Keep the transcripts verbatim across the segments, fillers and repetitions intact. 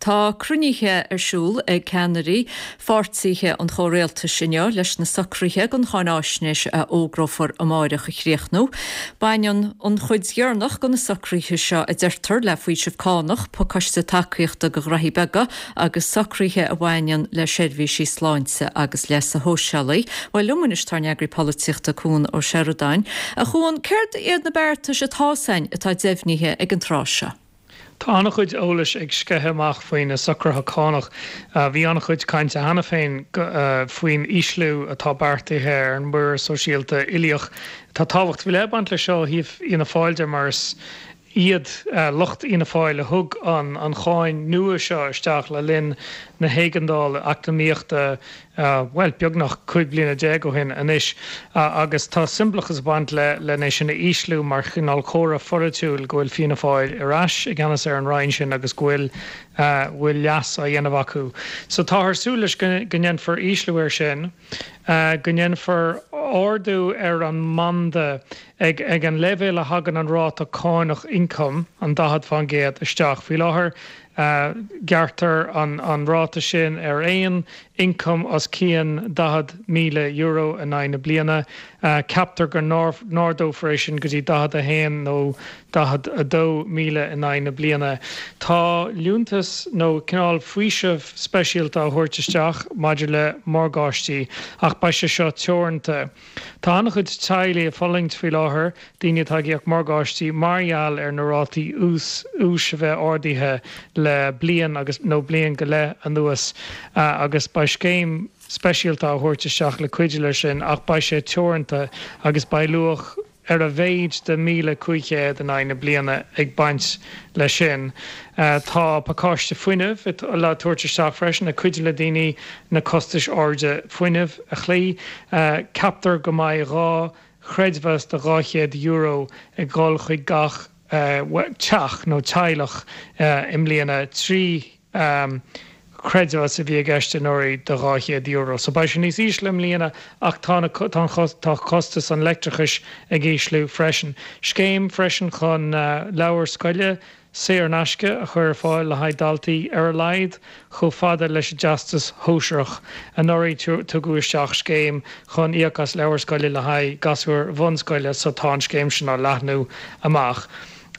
Tá cruinnithe ar siúl ag ceannairí pháirtithe an chomhrialtais inniu leis na socruithe don cháinaisnéis a fhógrófar amárach a chríochnú. Baineann an chuid dheireanach de na socruithe seo a deirtear le faoiseamh cánach, pacáiste tacaíochta do ghnóthaí beaga agus socruithe a bhaineann le seirbhísí sláinte agus leasa shóisialaigh. Bhuel liom anois tá ár n-eagraí polaitíochta Cuan Ó Seireadáin. A Chuain, céard iad na beartais atá ann atá deimhnithe ag an tráth seo? Tá an-chuid eolais ag sceitheadh amach faoi na socruithe cánach. Bhí an-chuid cainte cheana féin faoin ísliú atá beartaithe ar an muirear sóisialta uilíoch. Tá tábhacht faoi leith ag baint leis seo ó thaobh Fhianna Fáil de mar is iad lucht Fhianna Fáil a thug an an cháin nua seo isteach le linn na héigeandála eacnamaíochta bhuel beagnach cúig bliana déag ó shin anois agus tá siombalachas ag baint le lena sin a ísliú mar chineál comhartha polaitiúil go bhfuil Fianna Fáil ar ais i gceannas ar an roinn sin agus go bhfuil bhfuil leas á dhéanamh acu. So táthar ag súil leis go ndéanfar ísliú air sin, go ndéanfar ardú ar an mbanda ag ag an leibhéal a thagann an ráta cánach ioncaim an daichead faoin gcéad isteach. Faoi láthair gearrtar an an ráta sin ar aon ioncam os cionn daichead míle euro in aghaidh na bliana. Ceaptar go n-ardófar é sin go dtí daichead a haon nó daichead a dó míle in aghaidh na bliana. Tá liúntas nó cineál faoiseamh speisialta á thabhairt isteach maidir le morgáistí ach beidh sé seo teoranta. Tá an-chuid teaghlaigh ag fulaingt faoi láthair, daoine atá ag íoc morgáistí mar gheall ar na rátaí ús úis a bheith ardaithe le bliain agus nó bliain go leith anuas agus beidh scéim speisialta á thabhairt isteach le cuidiú leis sin ach beidh sé teoranta agus beidh luach ar a mhéid de míle cúig chéad in aghaidh na bliana ag baint leis sin. Tá pacáiste fuinnimh le tabhairt isteach freisin ag cuidiú le daoine na costais airde fuinnimh a chloí. Ceaptar go mbeidh dhá chreidmheas de dhá chéad euro ag dul chuig gach teach nó teaghlach i mbliana trí chreidmheas a bhí i gceist anuraidh de dhá chéad euro. So beidh sé níos ísle i mbliana ach tá na tá costas an leictreachais ag ísliú freisin. Scéim freisin chun leabhair scoile saor in aisce a chur ar fáil le haghaidh daltaí ar a laghad chomh fada leis an dteastas shóisearach. Anuraidh tugadh isteach scéim chun íoc as leabhair scoile le haghaidh gasúir bhunscoile so tá an scéim sin á leathnú amach.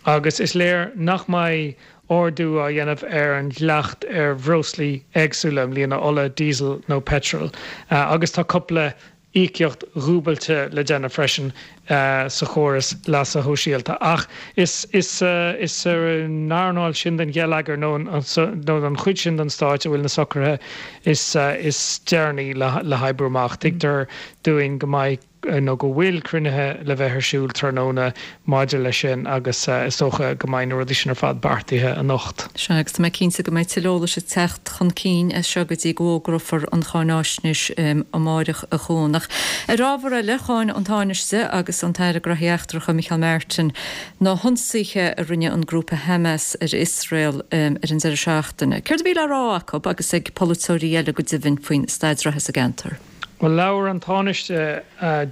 Agus is léir nach mbeidh ardú á dhéanamh ar an dleacht ar bhreoslaí éagsúla i mbliana, ola, diesel nó peitreal. Agus tá cúpla íocaíocht dhúbailte le déanamh freisin sa chóras leasa shóisialta. Ach is is is sa earnáil sin den gheilleagar nó nó an chuid sin den stáit a bhfuil na socruithe is is deireanaí le le hoibriú amach. Tuigtear dúinn go mbeidh nó go bhfuil cruinnithe le bheith ar siúl tráthnóna maidir leis sin agus is dócha go mbeidh na rudaí sin ar fad beartaithe anocht. Sea, agus tá mé cinnte go mbeidh tuilleadh eolais ag teacht chun cinn as seo go dtí go bhfógrófar an cháinaisnéis amárach a Chuain. Ach ar ábhar eile, cháin an Tánaiste agus an tAire Gnóthaí Eachtracha Micheál Martin na hionsaithe a rinne an grúpa Hamas ar Iosrael ar an deireadh seachtaine. Céard a bhí le rá acu agus ag polaiteoirí eile go deimhin faoin staid reatha sa gceantar? Bhuel, labhair an Tánaiste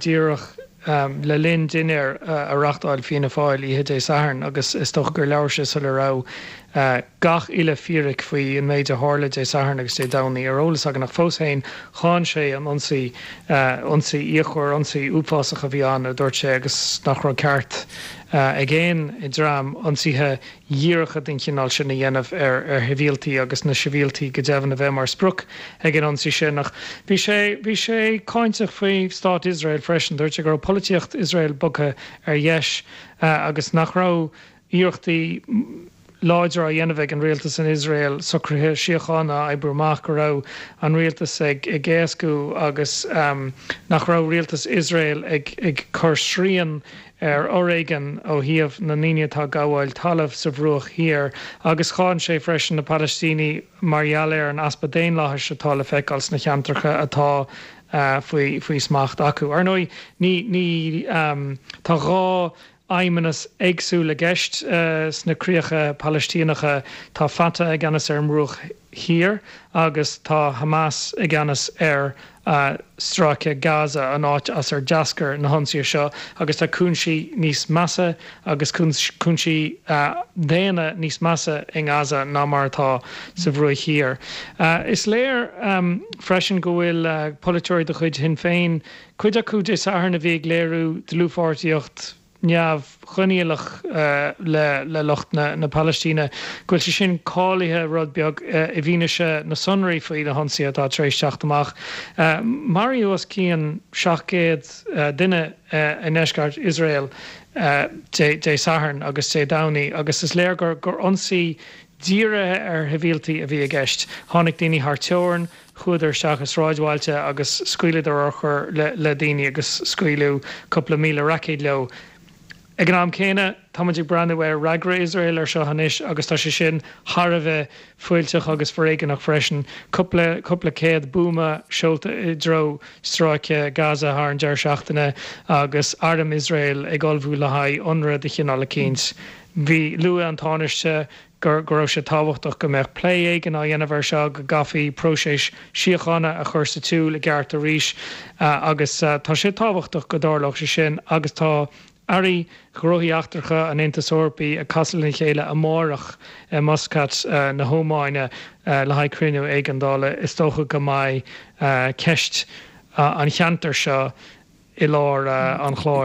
díreach le linn dinnéar a reáchtáil Fianna Fáil oíche Dé Sathairn agus is dócha gur labhair sé sula raibh gach uile fíric faoi an méid a tharla Dé Sathairn agus Dé Domhnaigh ar eolas againn ach fós féin cháin sé an ionsaí, ionsaí fhíochmhar, ionsaí uafásach a bhí ann, a dúirt sé, agus nach raibh ceart ag aon dream ionsaithe dhíreacha den chineál sin a dhéanamh ar ar shibhialtaigh agus na sibhialtaigh go deimhin a bheith mar sprioc ag an ionsaí sin. Ach bhí sé bhí sé cáinteach faoi stát Iosrael freisin. Dúirt sé go raibh polaitíocht Iosrael bogtha ar dheis agus nach raibh iarrachtaí láidre á dhéanamh ag an rialtas in Iosrael socruithe síochána a oibriú amach, go raibh an rialtas ag ag éascú agus nach raibh rialtas Iosrael ag ag cur srian ar fhoréigean ó thaobh na ndaoine atá ag gabháil talaimh sa Bhruach Thiar agus cháin sé freisin na Palaistínigh mar gheall ar an easpa daonlathais atá le feiceáil sna ceantracha atá faoi faoi smacht acu. Ar ndóigh ní ní tá dhá fheidhmeannas éagsúil i gceist sna críocha Palaistíneacha. Tá Fatah i gceannas ar an mBruach Thiar agus tá Hamas i gceannas ar Stráice Gaza, an áit as ar d'eascair na hionsaithe seo, agus tá cúinsí níos measa agus cúinsí daonna níos measa i nGaza ná mar atá sa Bhruach Thiar. Is léir freisin go bhfuil polaiteoirí de chuid Shinn Féin, cuid acu Dé Sathairn a bhí ag léiriú dlúthpháirtíocht neamhchoinníollach le lucht na Palaistíne, go bhfuil sé sin callraithe rud beag i bhfianaise na sonraí faoi na hionsaithe atá tar éis teacht amach. Maraíodh os cionn seacht gcéad duine i ndeisceart Iosrael Dé Sathairn agus Dé Domhnaigh agus is léir gur ionsaí dírithe ar shibhialtaigh a bhí i gceist. Tháinig daoine thar teorainn, chuadar isteach i sráidbhailte agus scaoileadar urchair le daoine agus scaoileadh cúpla míle raicéad leo. Ag an am céanna, táimid ag breathnú ar fhreagra Iosrael ar seo anois agus tá sé sin thar a bheith fuilteach agus foréigeanach freisin. Cúpla cúpla céad buama seolta i dtreo stráice Gaza thar an deireadh seachtaine agus arm Iosrael ag ullmhú le haghaidh ionradh de chineál eicínt. Bhí luaigh an Tánaiste gur go raibh sé tábhachtach go mbeadh plé éigin á dhéanamh air seo, go gcaithfí próiseas síochána a chur sa tsiúl i gceart arís agus tá sé tábhachtach go dtarlódh sé sin agus tá Airí Gnóthaí Eachtracha an Aontais Eorpaigh ag casadh lena chéile amárach i Muscat na hÓmáine le haghaidh cruinniú éigeandála. Is dócha go mbeidh ceist an cheantair seo i lár an chláir.